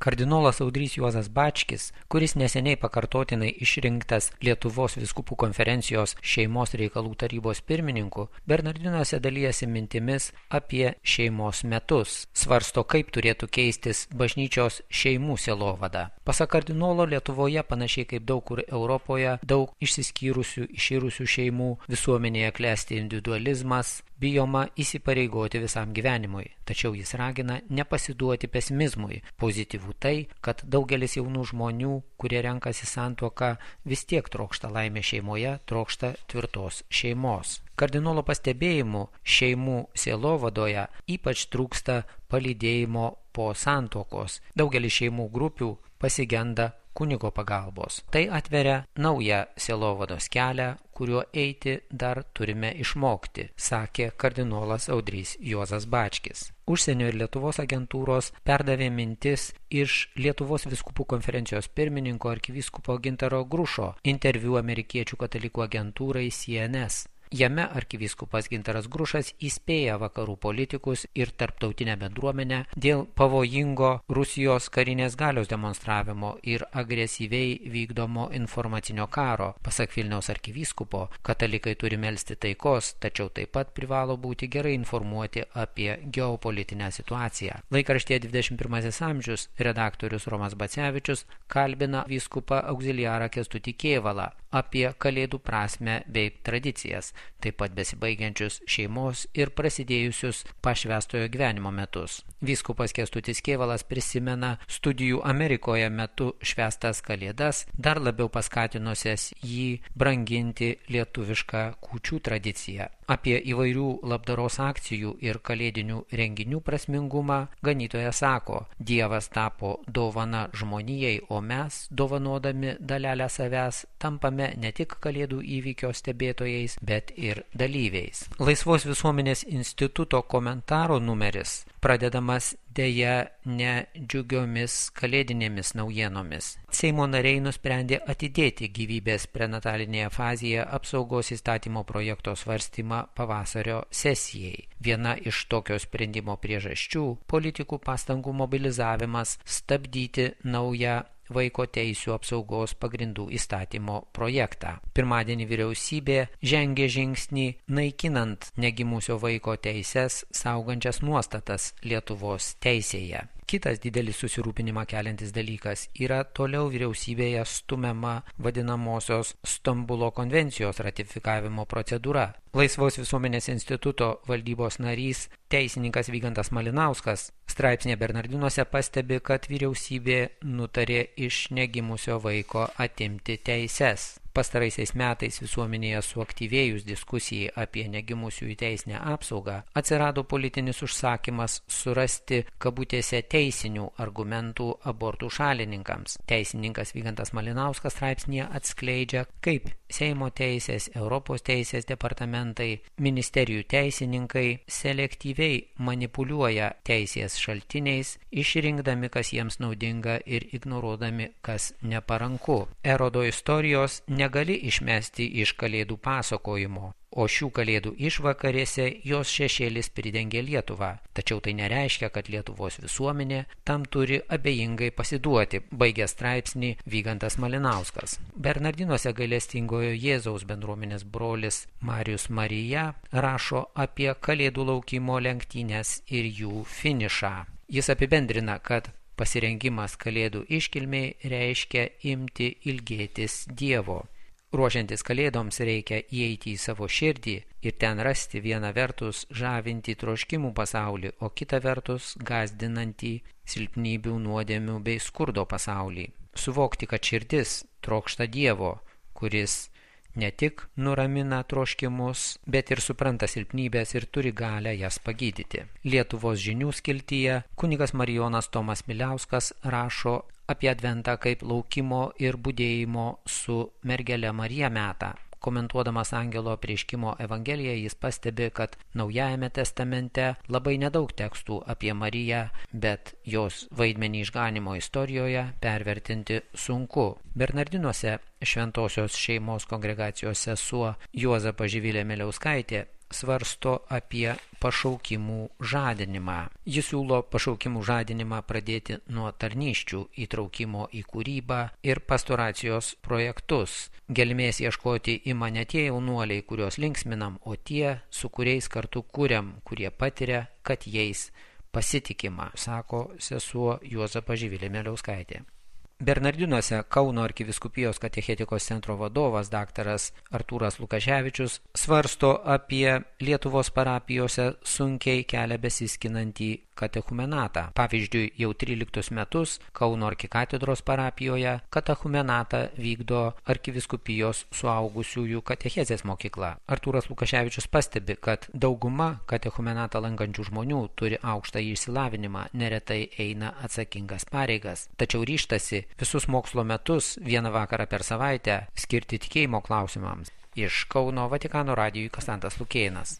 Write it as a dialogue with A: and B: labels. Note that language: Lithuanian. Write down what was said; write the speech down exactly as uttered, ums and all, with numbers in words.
A: Kardinolas Audrys Juozas Bačkis, kuris neseniai pakartotinai išrinktas Lietuvos vyskupų konferencijos šeimos reikalų tarybos pirmininku, Bernardinuose dalijasi mintimis apie šeimos metus. Svarsto, kaip turėtų keistis bažnyčios šeimų sielovada. Pasak kardinolo, Lietuvoje, panašiai kaip daug kur Europoje, daug išsiskyrusių, iširusių šeimų, visuomenėje klesti individualizmas, bijoma įsipareigoti visam gyvenimui. Tačiau jis ragina nepasiduoti pesimizmui. Pozityvų tai, kad daugelis jaunų žmonių, kurie renkasi santuoką, vis tiek trokšta laimę šeimoje, trokšta tvirtos šeimos. Kardinolo pastebėjimu, šeimų sielovadoje ypač trūksta palydėjimo po santuokos. Daugelis šeimų grupių pasigenda kunigo pagalbos. Tai atveria naują sielovados kelią, kuriuo eiti dar turime išmokti, sakė kardinolas Audrys Juozas Bačkis. Užsienio ir Lietuvos agentūros perdavė mintis iš Lietuvos vyskupų konferencijos pirmininko arkivyskupo Gintaro Grušo interviu amerikiečių katalikų agentūrai C N S. Jame arkivyskupas Gintaras Grušas įspėja vakarų politikus ir tarptautinę bendruomenę dėl pavojingo Rusijos karinės galios demonstravimo ir agresyviai vykdomo informacinio karo. Pasak Vilniaus arkivyskupo, katalikai turi melsti taikos, tačiau taip pat privalo būti gerai informuoti apie geopolitinę situaciją. Laikraštyje dvidešimt pirmasis amžius redaktorius Romas Bacevičius kalbina vyskupą auxiliarą Kęstutį Kėvalą apie kalėdų prasmę bei tradicijas, taip pat besibaigiančius šeimos ir prasidėjusius pašvęstojo gyvenimo metus. Vyskupas Kęstutis Kėvalas prisimena studijų Amerikoje metu švęstas kalėdas, dar labiau paskatinusias jį branginti lietuvišką kūčių tradiciją. Apie įvairių labdaros akcijų ir kalėdinių renginių prasmingumą ganytojas sako, Dievas tapo dovana žmonijai, o mes, dovanodami dalelę savęs, tampame ne tik kalėdų įvykio stebėtojais, bet ir dalyviais. Laisvos visuomenės instituto komentaro numeris pradedamas dėja ne džiugiomis kalėdinėmis naujienomis. Seimo nariai nusprendė atidėti gyvybės prenatalinėje fazėje apsaugos įstatymo projekto svarstymą pavasario sesijai. Viena iš tokio sprendimo priežasčių – politikų pastangų mobilizavimas stabdyti naują vaiko teisių apsaugos pagrindų įstatymo projektą. Pirmadienį vyriausybė žengė žingsnį naikinant negimusio vaiko teises saugančias nuostatas Lietuvos teisėje. Kitas didelis susirūpinimą keliantis dalykas yra toliau vyriausybėje stumiama vadinamosios Stambulo konvencijos ratifikavimo procedūra. Laisvos visuomenės instituto valdybos narys, teisininkas Vygantas Malinauskas, straipsnėje Bernardinuose pastebi, kad vyriausybė nutarė iš negimusio vaiko atimti teises. Pastaraisiais metais visuomenėje suaktyvėjus diskusijai apie negimusiųjų teisinę apsaugą, atsirado politinis užsakymas surasti kabutėse teisinių argumentų abortų šalininkams. Teisininkas Vygantas Malinauskas straipsnėje atskleidžia, kaip Seimo teisės, Europos teisės departamentai, ministerijų teisininkai selektyviai manipuliuoja teisės šaltiniais, išrinkdami, kas jiems naudinga ir ignoruodami, kas neparanku. Erodo istorijos negali išmesti iš kalėdų pasakojimo, o šių kalėdų išvakarėse jos šešėlis pridengė Lietuvą. Tačiau tai nereiškia, kad Lietuvos visuomenė tam turi abejingai pasiduoti, baigė straipsnį Vygantas Malinauskas. Bernardinuose gailestingojo Jėzaus bendruomenės brolis Marijus Marija rašo apie kalėdų laukimo lenktynes ir jų finišą. Jis apibendrina, kad pasirengimas kalėdų iškilmei reiškia imti ilgėtis Dievo. Ruošiantis kalėdoms reikia įeiti į savo širdį ir ten rasti vieną vertus žavintį troškimų pasaulį, o kitą vertus gąsdinantį silpnybių, nuodėmių bei skurdo pasaulį. Suvokti, kad širdis trokšta Dievo, kuris ne tik nuramina troškimus, bet ir supranta silpnybės ir turi galę jas pagydyti. Lietuvos žinių skiltyje kunigas Marijonas Tomas Miliauskas rašo apie adventą kaip laukimo ir budėjimo su mergele Marija metą. Komentuodamas angelo apreiškimo evangeliją, jis pastebi, kad Naujajame testamente labai nedaug tekstų apie Mariją, bet jos vaidmenį išganimo istorijoje pervertinti sunku. Bernardinuose šventosios šeimos kongregacijos sesuo Juozapas Živilė Miliauskaitė svarsto apie pašaukimų žadinimą. Jis siūlo pašaukimų žadinimą pradėti nuo tarnysčių įtraukimo į kūrybą ir pastoracijos projektus. Gelmės ieškoti ima ne tie jaunuoliai, kuriuos linksminam, o tie, su kuriais kartu kuriam, kurie patiria, kad jais pasitikima, sako sesuo Juozapa Živilė Mieliauskaitė. Bernardinuose Kauno arkivyskupijos katechetikos centro vadovas daktaras Artūras Lukaševičius svarsto apie Lietuvos parapijose sunkiai kelią besiskinantį katechumenatą. Pavyzdžiui, jau tryliktus metus Kauno arkikatedros parapijoje katechumenatą vykdo arkivyskupijos suaugusiųjų katechezės mokykla. Artūras Lukaševičius pastebi, kad dauguma katechumenatą lankančių žmonių turi aukštą išsilavinimą, neretai eina atsakingas pareigas, tačiau ryžtasi visus mokslo metus vieną vakarą per savaitę skirti tikėjimo klausimams. Iš Kauno Vatikano radijui Konstantas Lukėnas.